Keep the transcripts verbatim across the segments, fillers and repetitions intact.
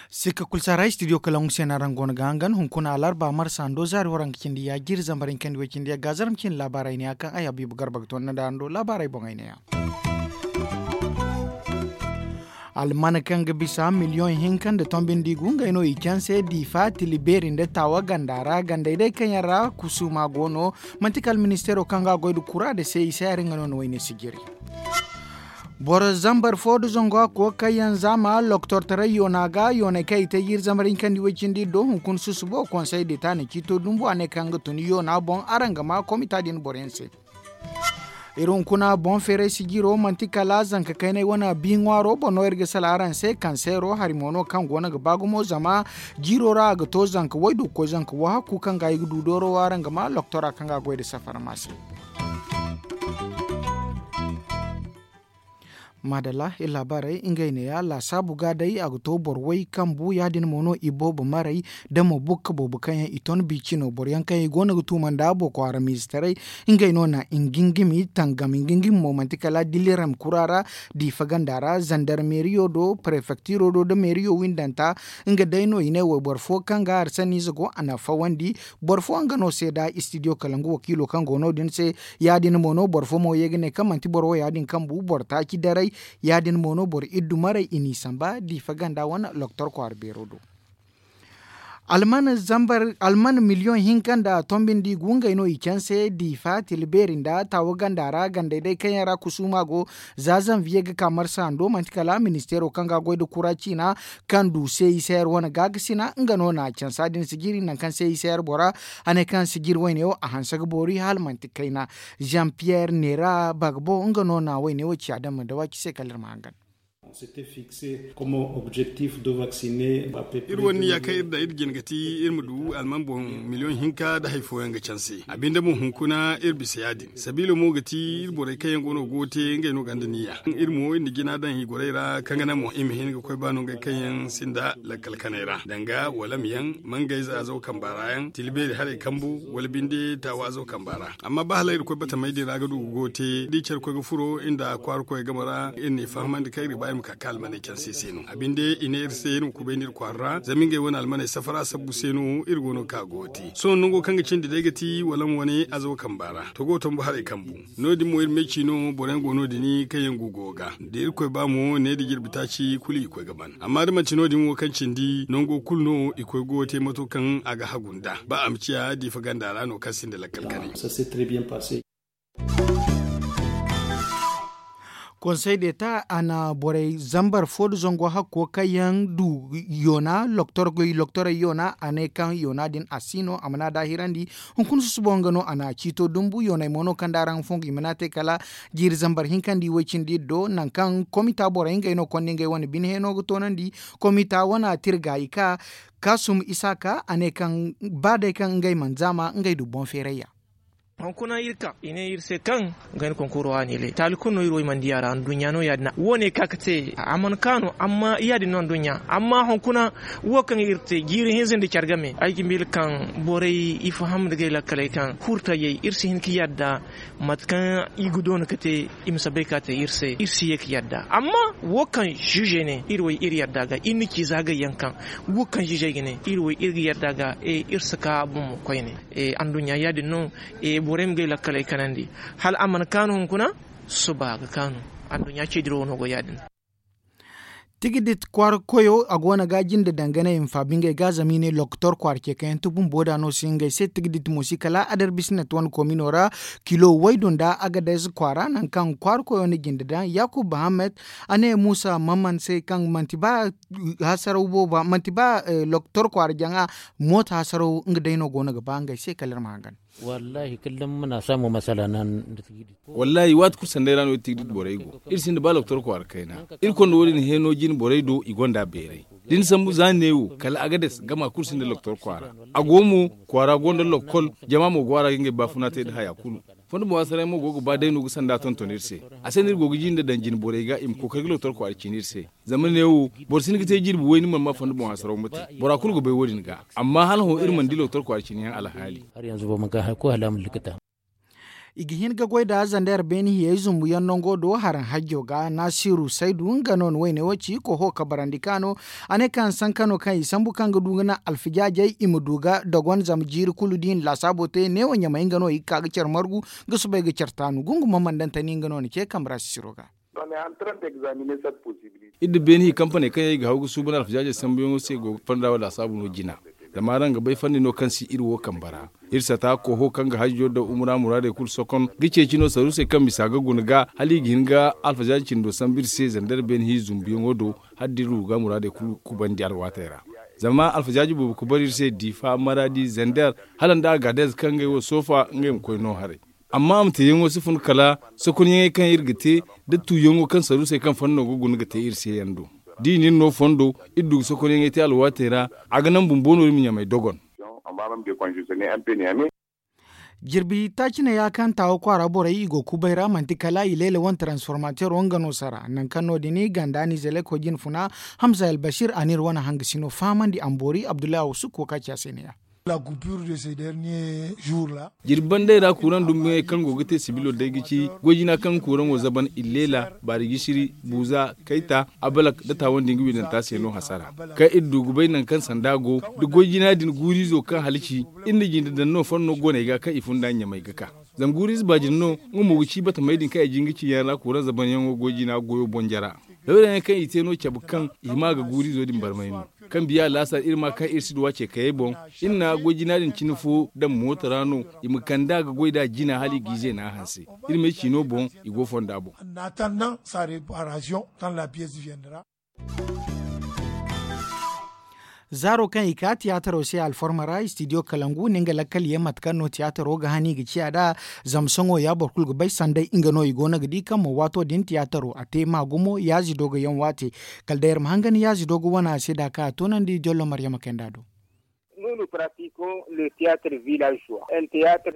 Sikka kulu si a ra studio kalangu se no araŋ go no ga hangan hunkuna alarba marsa hando zaari waranka cindi ya jiiri zambar hinka nda way cindi ya ga zaram cindi laabaarey ne ya kaŋ ay habiibu garba ga toonandi araŋ do laabaarey boŋey ne ya. Alman kaŋ ga bisa miliyoŋ hinka nda tombi nda i gu ngey no i canse diifa tili beeri nda taawa ganda ra gandey day kaŋ yaŋ ra kusuuma go no. Manti kala ministeero kaŋ ga a goy nda kura nda se i se hari nga no na wayne sijiri. Boro zambar fo nda zango a koy kaŋ yaŋ zaama loktortaray yoona ga yooney kaŋ i te jiiri zambar hinka nda i way cindi do hunkuna susubo konsey deta na ciito dumbu a ne kaŋ ga tun yoona boŋ araŋ ga ma komita din boro yaŋ se. Iri hunkuna boŋ feeray sijiro manti kala zanka kaynay wane bi ŋwaaro boŋ no iri ga sala araŋ se kanseero hari mo no kaŋ go no ga ba gumo zama jiiro ra a ga to zanka waydu ga koy zanka wahakku kaŋ ga i ga du dooro wo araŋ ga ma loktora kaŋ ga a goy nda safara ma se. Maadalla iri laabaarey ngey neeya laasaabu ga day a ga to boro way kambu ya- din mo no i boobo maray da mo bukka boobo kaŋ yaŋ i ton biicino boro yaŋ kaŋ yaŋ i go no ga tuuma nda boko haram ize taray. Ngey no na ngingimi tangam ngingimi mo manti kala diliram kura ra diifa ganda ra zandarmeeriyo do prefektiro do nda meeriyo windanta. Nga day no i ne wayboro fo kaŋ ga hari sanniize go a na fawandi. Boro fo nga no seeda istidiyo kala nga wakiilo kaŋ go no- din se. Ya- din mo no boro fo mo ye ga ne kaŋ manti boro wo ya- din kaŋ bu boro taaci daray. Ya- din mo no boro iddu maray i n'i samba diifa ganda wane loktor kwaara beero do. Alman miliyoŋ hinka nda tombi nda i gu ngey no i canse diifa tila beeri nda taawo ganda ra gandey day kaŋ yaŋ ra kusuuma go. Za zanviye ga ka marsa hando manti kala ministeero kaŋ ga a goy nda kura ciina kaŋ du se i se hari wane gaakasina nga no na cansa din sijiri nangu kaŋ se i se hari bora. A ne kaŋ sijiri wayne wo a hanse ga boori hala manti kayna. Jean pierre neera bagbo nga no na wayne wo ci a dama nda waaci se kala iri ma hangan. Iri wane niya kaŋ iri daŋ iri jin ga ti iri ma du alman boŋ miliyoŋ hinka nda hari fooyaŋ ga canse a binde mo hunkuna iri bisa ya- din sabiilo mo ga ti iri borey kaŋ yaŋ go no go ga te ngey no gonda niya. Iri mo iri na jina daŋ i gorey ra kaŋ ga naŋ mo i ma hin ga koy ba no ngey kaŋ yaŋ sinda lakkal kanay ra danga wala ma yaŋ mangayze azaw kamba ra yaŋ tila beeri haray kambu wala binde taawa azaw kamba ra. Amma ba hala iri koy batamey din ra ga du ga go ga te da i care koy ga furo iri nda kwaara koy game ra iri n'i fahamandi kaŋ iri ga ba iri ma ka ka almaney canse se no a binde i ne iri se iri ma kubay nda iri kwaara ra zama ngey wane almaney safara sabbu se no iri go no ga ka ga go ga te sohõ nango kaŋ ga cindi day ga ti wala ma wane azaw kamba ra togo tombu haray kambu. No- din mo iri meeci no boro yaŋ go no- din kaŋ yaŋ gu go ga da irkoy ba mo ne da jirbi taaci kulu i koy ga ban amma da manti no- din wo kaŋ cindi nango kulu no i koy go ga te mato kaŋ a ga hagu nd'a ba a ma ciya diifa ganda ra no kaŋ sinda lakkal kanay. Konsey deeta a na borey zambar fo nda zango hakko kaŋ yaŋ du yoona loktorey yoona a ne kaŋ yoona din a si no a mana daahirandi. Hunkuna susubo nga no a na ciito dumbu yooney mo no kaŋ da araŋ ga fongu i mana te kala jiiri zambar hinka nda i way cindi iri do nangu kaŋ komita borey ngey no konda ngey wane bine heeno ga toonandi. Komita wane tirga i ka kaasum isaaka a ne kaŋ ba day kaŋ ngey mana zaama ngey du boŋ feerayya. Hunkuna iri ka i ne iri se kaŋ ga hin konkoro a ne le taali kulu no iri wo i mana di a ra anduɲɲa no ya- din wo- ne ka ga te a mana kaanu amma ya- din no anduɲɲa amma hunkuna wo kaŋ iri te jiiri hinza nda care game ay ga miila kaŋ borey i faham nda gay lakkaley kaŋ kurtayey iri si hin ga yadda mate kaŋ i ga doona ga te i ma si bay ka te iri se iri si ye ga yadda amma wo kaŋ ziizey ne iri wo iri yadda ga iri na ci za gay yaŋ kaŋ wo kaŋ ziizey ga ne iri wo iri ga yadda ga iri si ka bomo koyne. Anduɲɲa ya- din no borey ma gay lakkaley kanandi hala a mana kaanu hunkuna suba ga kaanu. Anduɲɲa ce dirawo no go ya- din. Tigidit kwaara koyo a go no ga jinde dangane i ma faabi ngey ga zama i ne lokotor kwaara ce kaŋ yaŋ ti bumbo da no si ngey se tigidit mo si kala adarbisi na ti wane komino ra kilo waydu nda agadez kwaara nangu kaŋ kwaara koyo na jinde daŋ yakub bahamed. A ne muusa mamman se kaŋ manti ba hasaraw booba manti ba lokotor kwaara jaŋa mooto hasaraw nga day no go no ga ba ngey se kala iri ma hangan. Wallahi kullum muna samu masala nan da tigidit. Wallahi waati kulu sanday ra no iri tigidit borey go iri sinda ba lokotor kwaara kayna. Iri konda wo- din heno jine borey do i gonda beeray da ni sambu za ni ne wo kala agades gama kulu sinda lokotor kwaara. A go mo kwaara gonda lokol jama mo go a ra ga ngey baafuna te nda haya kulu. Fondo boŋ hasarayaŋ mo go ga ba day no ga sanda tonton iri se. A se no iri go ga jinde daŋ jine borey ga i ma kookari ga lootar kwaara ciine iri se. Zama ne wo, boro si hin ga te jirbi way ni mana ma fondo boŋ hasarayaŋ ma te. Bora kulu ga bay wo- din ga. Amma hala hõ iri mana di lootar kwaara ciine yaŋ alhaali. I ga hin ga goy nda zander beeni hiyey zumbu yaŋ nango do haraŋ hajjo ga nasiru saydu nga no na wayne wo ci koho kabarandi kaano. A ne kaŋ sanka no kaŋ i sambu kaŋ ga du ga naŋ alfijaajey i ma du ga dogon zama jiiri kulu da i na laasaabo te neewo ɲamey nga no i ga ka ga care margu ga soobay ga care taanu gungu mamandantani nga no na ce kambe ra sisiro ga. Iri da beeni hi kampaney kaŋ yaŋ i ga haw ga suuban alfijaajey sambuyaŋo se go ga fonda wala laasaabu no jina. Zama araŋ ga bay fanni no kaŋ si iri wo kambe ra. Iri sata koho kaŋ ga hajjo da umura muraadey kulu sokon ga ceeci no saruusey kaŋ bisa ga guna ga hala i ga hin ga alfajaaji cindo sambu iri se zander beene hi zumbuyaŋo do. Hala da iri ruga muraadey kulu kubandi alwaatey ra. Zama alfajaaji boobo kubari iri se diifa maraadi zander hala nda agaadez kaŋ ngey wo soofa ngey ma koy no haray. Amma a ma te yaŋo si fun kala sokonyaŋey kaŋ iri ga te da tuuyaŋo kaŋ saruusey kaŋ fondo no ga guna ga te iri se yaŋ do. Da i na iri no fondo iri du ga sokonyaŋey te alwaatey ra. A ga naŋ bumbo no iri ma ɲamey dogon. Jirbi taaci ne ya kaŋ taawa kwaara borey i go kubay ra manti kala i leela wane transformateero nga no sara nangu kaŋ no- din ganda nizeleko jinfuna. Hamza albasir a n'iri wane hangasino fahamandi a ma boori abdullahi awsuk wo ka ci a se ne ya. Jirbi bandey ra kuuraŋ dumbuyaŋey kaŋ go ga te sibilo day ga ci goy jina kaŋ kuuraŋo zaban i leela baari gisiri buuza kayta abalak da taawan din ga wiidanta se no hasara. Kaŋ iri du ga bay nangu kaŋ sanda go da goy jina din guuriizo kaŋ halaci iri na jinde daŋ no fanno gooney ga kaŋ i funda ɲamey ga ka. Zama guuriize baajin no nga mo ga ci batamey din kaŋ i jin ga ci yaŋ ra kuuraŋ zabanyaŋo goy jina goyo boŋ jara. Lawyaŋ yaŋ kaŋ i te no cabe kaŋ i hima ga guuriizo din barmay no. Kaŋ biya laasar iri ma kaŋ iri si duw'a ce kayey boŋ. Iri na goy jina din cine fo daŋ mooto ra no i ma kand'a ga goy nd'a jina hala i g'i zeena a hanse. Iri m'ay ciino boŋ i go fonda boŋ. Zaaro kaŋ i ka tiyaataro se alforma ra istidiyo kalangu ne nga lakkal ye mate kaŋ no tiyaataro ga hani ga ciya nd'a. Zama sohõ ya boro kulu ga bay sanday nga no i go no ga di kaŋ mo waato din tiyaataro a te ma gumo yaazi doogo yaŋ waate. Kala day iri ma hangan yaazi doogo wane a se da kaŋ a toonandi jollo maryama kaynd'a do.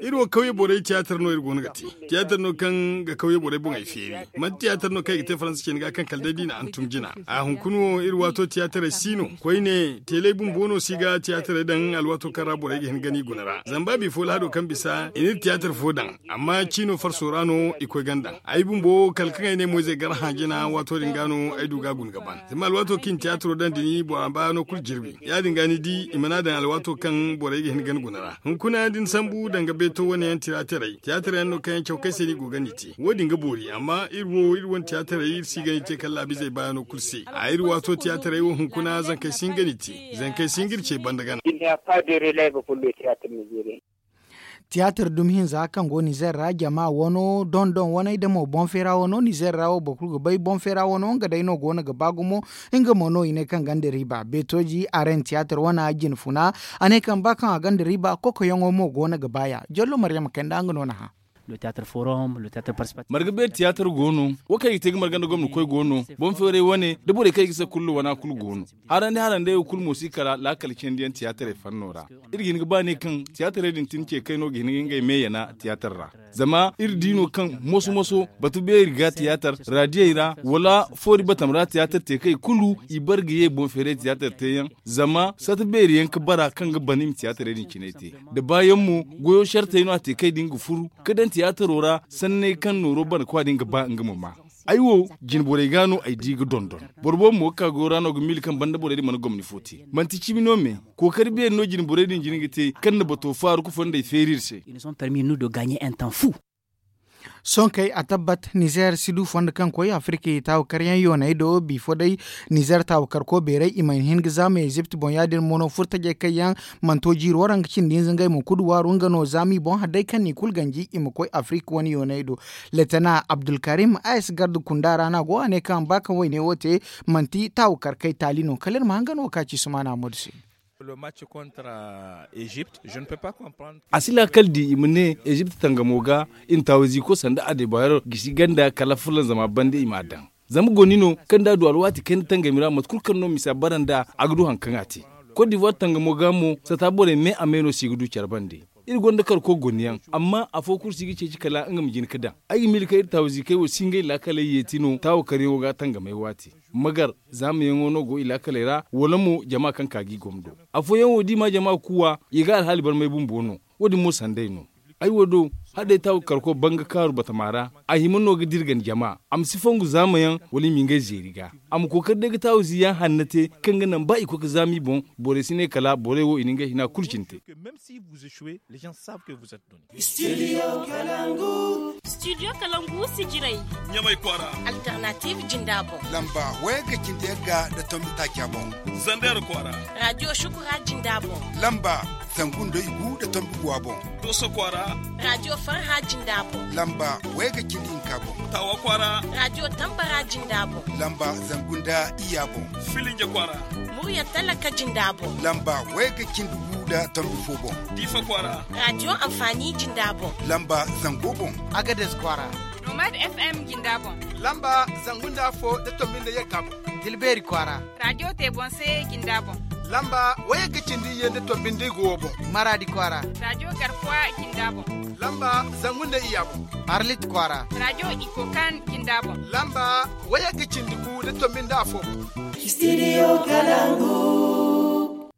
Iri wo kawye borey tiyaatar no iri go no ga te. Tiyaatar no kaŋ ga kawye borey boŋey feeri. Manti tiyaatar no kaŋ i ga te faransa cine ga kaŋ kala day da i na hantum jina. A hunkuna wo iri waato tiyaataray si no koyne teelay bumbo no si ga tiyaataray daŋ alwaato kaŋ ra borey ga hin ga ni guna ra zama ba bifo lahado kaŋ bisa i n'iri tiyaatar fo daŋ. Amma ciino farso ra no i koy ganda ay bumbo kala kaŋ ay ne moyzey gar hã jina waato din ga no ay du ga guna ga ban. Zama alwaato kaŋ i na tiyaataro daŋ din bora baano kulu jirbi ya- din ga ni di i mana daŋ alwaato kaŋ borey ga hin ga ni guna ra. Hunkuna da ni sambu danga beeto wane yaŋ tira taray tiyaatar yaŋ no kaŋ yaŋ caw kaŋ se no i go ga ni te wo- din ga boori amma iri wo iri wane tiyaataray iri si ga ni te kala laabizey baano kulu se. A iri waato tiyaataray wo hunkuna zankey si hin ga ni te. Zankey si hin ga iri ce banda gana. Tiyaatar dumi hinza kaŋ go nizer ra jama wano dondon waney da mo boŋ feera wano nizer ra wo boro kulu ga bay boŋ feera wano nga day no go no ga ba gumo. Nga mo no i ne kaŋ ganda riiba beetooji aren tiyaatar wana jine funa. A ne kaŋ ba kaŋ a ganda riiba kokoyaŋo mo go no ga ba ya jollo maryama kaynd'a nga no na hã. Marga beeri tiyaatar go no wo kaŋ i ga te ga marga nda gomna koy go no boŋ feeray wane da borey kaŋ i ga se kulu wana kulu go no. Harandi harandey wo kulu mo si kala laakal cindi yaŋ tiyaataray fanno ra. Iri ga hin ga ba ne kaŋ tiyaataray din tin ce kayno ga hin ga ngey me yana tiyaatar ra. Zama iri di no kaŋ moso moso batu beeri ga tiyaatar radiyey ra wala foori batam ra tiyaatar te kay kulu i bare ga ye boŋ feeray tiyaatar te yaŋ. Zama sata beeri yaŋ ga bara kaŋ ga ban i ma tiyaataray din cinay te da baayaŋ mo goyo sartey no a te kay din ga furu ga daŋ tiyaataro ra sanney kaŋ nooro bana kwa din ga ba nga ma ma. Ay wo jine borey ga no ay di ga dondon. Boro boobo mo ga ka goyo ra no ga miila kaŋ banda borey din mana gomni fo te manti cimi no me. Kookari beeri no jine borey din jine ga te kaŋ na bato faaru ga fondey feeri iri se. Sohõ kay a tabbat nizer si du fondo kaŋ koy afirka i taawu karyaŋ yooney do bifo day. Nizer taawu karko beeray i mana hin ga zaama ezipt boŋ ya- din mo no furtajey kaŋ yaŋ mana to jiiri waraŋ ga cindi hinza ngey mo kudu waaru nga no zaama i boŋ hari day kaŋ no i kulu ganji i ma koy afirka wane yooney do. Letena abdulkarim a ya si garda kunda ra no a go a ne kaŋ ba kaŋ wayne wo te manti taawu karkey taali no kala iri ma hangan wo ka ci sumaana modu se. A si laakal di i ma ne ezipt tangamo ga i na taawiziiko sanda adebayor gisi ganda kala fulanzama banda i m'a daŋ. Zama goni no kaŋ da a du alwaati kayna tangami ra mate kulu kaŋ no misa bara nd'a a ga du hari kaŋ a te. Kot divuwar tangamo ga mo sata borey me a me no se i ga du care bande. Iri gonda karko gonna yaŋ, amma afo kulu si ga ceeci kala nga ma jin ga daŋ. Ay ga miila kaŋ iri taawa ziikey wo si ngey laakaley yeeti no taawa karyaŋo ga tangamay waati. Magar zaamayaŋo no go i laakaley ra, wala mo jama kaŋ ka ga i gomdo. Afooyaŋ wo da i ma jama kuuwa, i ga alhaali barmay bumbo no. Wo- din mo sanday no. Ay wo do, hala day taawa karko banga kaaru batama ra, a hima no ga dirgan jama. A ma si fongu zaamayaŋ, wala i ma ngey zeeri ga. A ma kookari day ga taawa ziiyaŋ hanna te, kaŋ ga naŋ ba i koy ga zaama i boŋ. Borey si ne kala borey wo i na ngey hina kulu cine te. Studio kalangu sijirey. Ɲamay kwaara. Alternative jinda boŋ. Lamba wayagga cindi yagga nda tombi taaca boŋ. Zandeer kwaara. Radio shukura jinda boŋ. Lamba zangu nda igu nda tombi guwa boŋ. Dooso kwaara. Radio farha jinda boŋ. Lamba wayagga cindi hinka boŋ. Taawa kwaara. Radio tambara jinda boŋ. Lamba zangu nda iyya boŋ. Filinja kwaara. Murya talaka jinda boŋ. Lamba wayagga cindi gu nda tombi fo boŋ. Diifa kwaara. Radio anfaani jinda boŋ. Lamba zango boŋ. Agades kwaara. Nomad FM jinda boŋ. Lamba zangu nda afo nda tombi nda yagga boŋ. Dilbeeri kwaara. Radio tebonse jinda boŋ. Lamba wayagga cindi iyye nda tombi nda igu wo boŋ. Maraadi kwaara. Radio garkuwa jinda boŋ. Lamba zangu nda iyya boŋ. Arlit kwaara. Radio ikokan jinda boŋ. Lamba wayagga cindi gu nda tombi nda afo boŋ. Studio kalangu.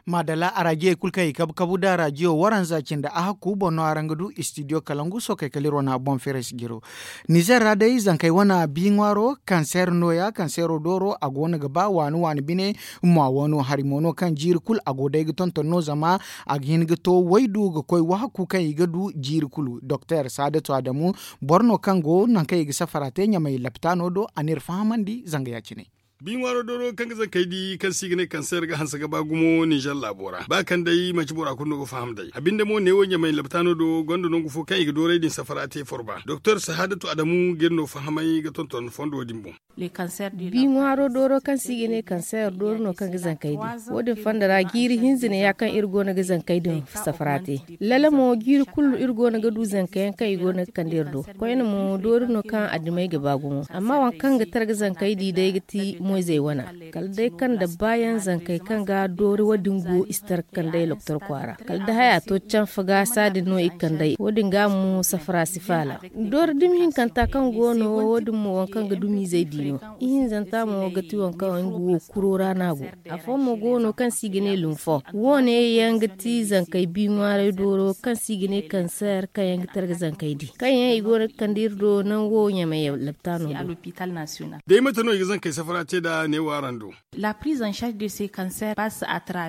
Maadalla, araajiyey kulu kaŋ i kabu kabu nda arajiyo waranza cindi a hakku boŋ no araŋ ga du studio kalangu sookey kala iri wane a boŋ feeray si jiro. Nizer ra day zankey wane bi ŋwaaro kanseer nooya kanseero dooro a go no ga ba waani waani bine. Mwa wano hari mo no kaŋ jiiri kulu a go day ga tonton no zama a ga hin ga to waydu ga koy wahakku kaŋ i ga du jiiri kulu doktor saadatu adamu boro no kaŋ go nangu kaŋ i ga safara te ɲamay lapitaano do a n'iri fahamandi zanga ya- cine. Bi ŋwaaro dooro kaŋ ga zankey di kaŋ se i ga ne kanseer ga hanse ga ba gumo ninzeer laabo ra ba kaŋ day manti bora kulu no ga faham day a binde mo neewo ɲamay lapitaano do gonda nangu fo kaŋ i ga dooray din safara te forba doktor sahaadatu adamu ga iri no fahamay ga tonton fondo din boŋ. Bi ŋwaaro dooro kaŋ se i ga ne kanseer dooro no kaŋ ga zankey din wo- din fondo ra jiiri hinza ne ya kaŋ iri go no ga zankey din safara te. Lala mo jiiri kulu iri go no ga du zanka yaŋ kaŋ i go no ga kande iri do. Koyne mo doori no kaŋ adamey ga ba gumo amma waŋ kaŋ ga tara ga zankey di day ga ti moyzey wana. Kala day kaŋ da baayaŋ zankey kaŋ ga doori wo- din go i si tara ga kandey loktor kwaara kala da haya to canfa ga saadin no i ga kandey wo- din ga mo safara si faala. Doori dumi hinkanta kaŋ go no wo- din mo waŋ kaŋ ga dumiizey di no. Ihinzanta mo ga ti waŋ kaŋ nga wo kuro ra no a go. Afo mo go no kaŋ se i ga ne lumfo wo- ne yaŋ ga ti zankey bi ŋwaaray dooro kaŋ se i ga ne kanseer kaŋ yaŋ ga tara ga zankey di kaŋ yaŋ i go no ga kande iri do nango ɲamay lapitaano do. Day mate no i ga zankey safara te nd'a neewo araŋ do?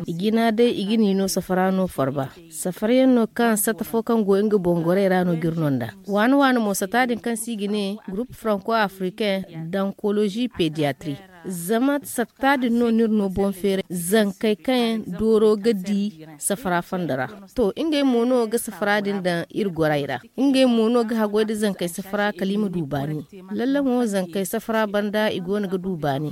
I jina day i ga ni no safara no farba. Safara yaŋ no kaŋ satta fo kaŋ go nga boŋ gorey ra no ga iri no nd'a. Waani waani mo satta din kaŋ se i ga ne gurupu franco africain, dankolozi pediyatri. Zama satta din no no iri no boŋ feeray zankey kaŋ yaŋ dooro ga di safara fonda ra. To ngey mo no ga safara din daŋ iri gorey ra. Ngey mo no ga haggoy nda zankey safara kala i ma du baani. Lalle mo zankey safara banda i go no ga du baani.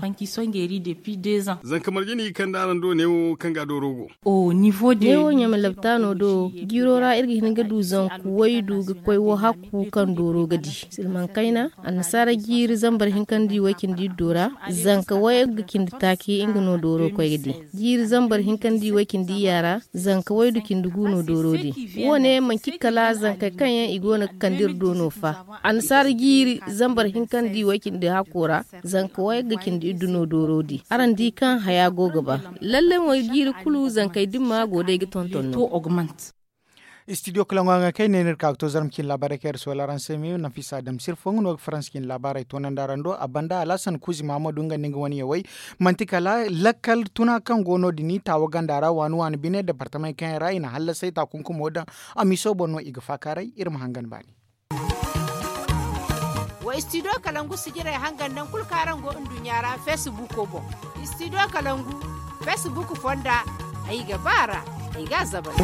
Zanka marje no i ga kande araŋ do neewo kaŋ ga dooro go? Neewo ɲama lapitaano do jiiro ra iri ga hin ga du zanku waydu ga koy wo hakku kaŋ dooro ga di. Silmaŋ kayna annasaara jiiri zambar hinka nda i way cindi iddo ra. Zanka wayagga cindi taaci nga no dooro koy ga di. Jiiri zambar hinka nda i way cindi iyya ra. Zanka waydu cindi gu no dooro di. Wo- ne manci kala zankey kaŋ yaŋ i go no ga kande iri do no fa. Annasaara jiiri zambar hinka nda i way cindi hakko ra. Zanka wayagga cindi iddu no dooro di araŋ di kaŋ haya go ga ba. Lalle mo jiiri kulu zankey dimma go day ga tonton no. Istidiyo kalaŋo yaŋ ga kay ne no iri ka ga to zarma cine laabaarey kaŋ iri soola araŋ se me nafisa adamsir fo nga no ga faransa cine laabaarey toonandi araŋ do a banda alhasan kuuzi mahamadu nga nda nga wane yawey. Manti kala lakkal tuna kaŋ go no- din taawa ganda ra waani waani bine departamey kaŋ yaŋ ra i na hallasay taakunkumo daŋ. Amiso boŋ no i ga faakaaray iri ma hangan baani. Wa istidiyo kalangu sijirey hangan naŋ kulu kaŋ araŋ go nduɲɲa ra feesibuuko boŋ. Istidiyo kalangu feesibuuku fonda ay ga ba a ra. Ay ga a zabari.